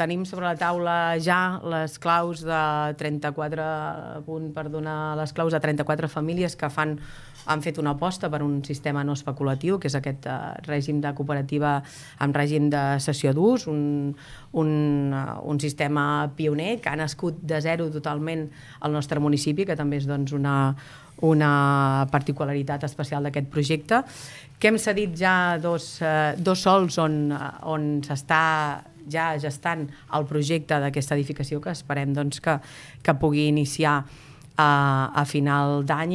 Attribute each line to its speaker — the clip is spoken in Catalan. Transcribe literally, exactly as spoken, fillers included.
Speaker 1: Tenim sobre la taula ja les claus de trenta-quatre, a punt per donar les claus de trenta-quatre famílies que fan, han fet una aposta per un sistema no especulatiu, que és aquest eh, règim de cooperativa amb règim de cessió d'ús, un, un, uh, un sistema pioner que ha nascut de zero totalment al nostre municipi, que també és doncs, una, una particularitat especial d'aquest projecte, que hem cedit ja dos, eh, dos sols on, on s'està ja gestant el projecte d'aquesta edificació, que esperem doncs, que, que pugui iniciar a, a final d'any.